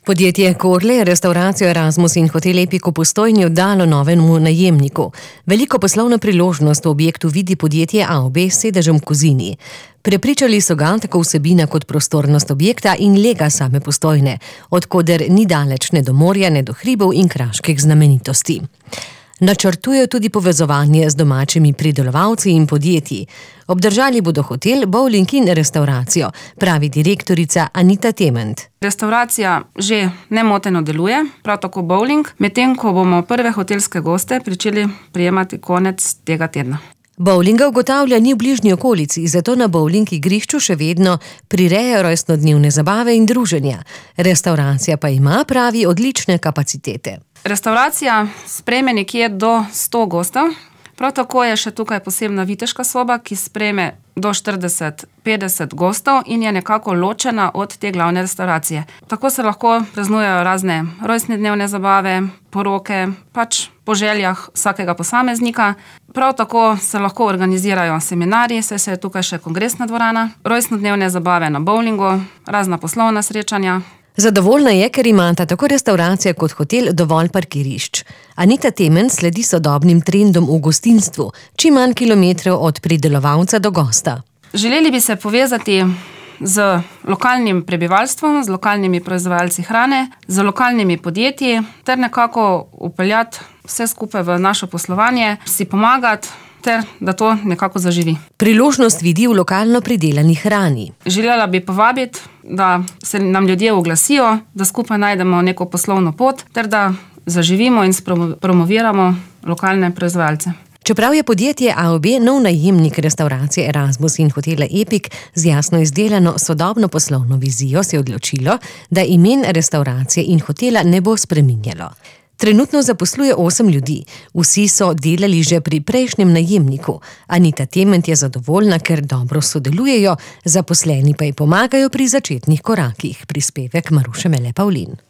Podjetje Korle je restauracijo Erasmus in hotel Epic v Postojni oddalo novemu najemniku. Veliko poslovno priložnost v objektu vidi podjetje AOB s sedežem v Kozini. Prepričali so ga tako vsebina kot prostornost objekta in lega same Postojne, od koder ni daleč ne do morja, ne do hribov in kraških znamenitosti. Načrtujejo tudi povezovanje z domačimi pridelovalci in podjetji. Obdržali bodo hotel, bowling in restauracijo, pravi direktorica Anita Tement. Restauracija že nemoteno deluje, prav tako bowling, medtem ko bomo prve hotelske goste pričeli prijemati konec tega tedna. Bowlinga ugotavlja ni v bližnji okolici, zato na bowling igrišču še vedno prirejajo rojstnodnevne zabave in druženja. Restauracija pa ima, pravi, odlične kapacitete. Restauracija sprejme nekje do 100 gostov. Prav tako je še tukaj posebna viteška soba, ki sprejme do 40-50 gostov in je nekako ločena od te glavne restauracije. Tako se lahko praznujejo razne rojstnodnevne zabave, poroke, pač po željah vsakega posameznika. Prav tako se lahko organizirajo seminarji, saj se je tukaj še kongresna dvorana, rojstnodnevne zabave na bowlingu, razna poslovna srečanja. Zadovoljna je, ker imata tako restauracija kot hotel dovolj parkirišč. Anita Tement sledi sodobnim trendom v gostinstvu, čim manj kilometrov od pridelovalca do gosta. Želeli bi se povezati z lokalnim prebivalstvom, z lokalnimi proizvajalci hrane, z lokalnimi podjetji, ter nekako vpeljati vse skupaj v naše poslovanje, si pomagati, ter da to nekako zaživi. Priložnost vidi v lokalno pridelani hrani. Želela bi povabiti, da se nam ljudje oglasijo, da skupaj najdemo neko poslovno pot, ter da zaživimo in promoviramo lokalne proizvajalce. Čeprav je podjetje AOB nov najemnik restauracije Erasmus in hotela Epic z jasno izdelano sodobno poslovno vizijo, se je odločilo, da imen restauracije in hotela ne bo spreminjalo. Trenutno zaposluje 8 ljudi. Vsi so delali že pri prejšnjem najemniku. Anita Tement je zadovoljna, ker dobro sodelujejo, zaposleni pa ji pomagajo pri začetnih korakih. Prispevek Maruše Mele Pavlin.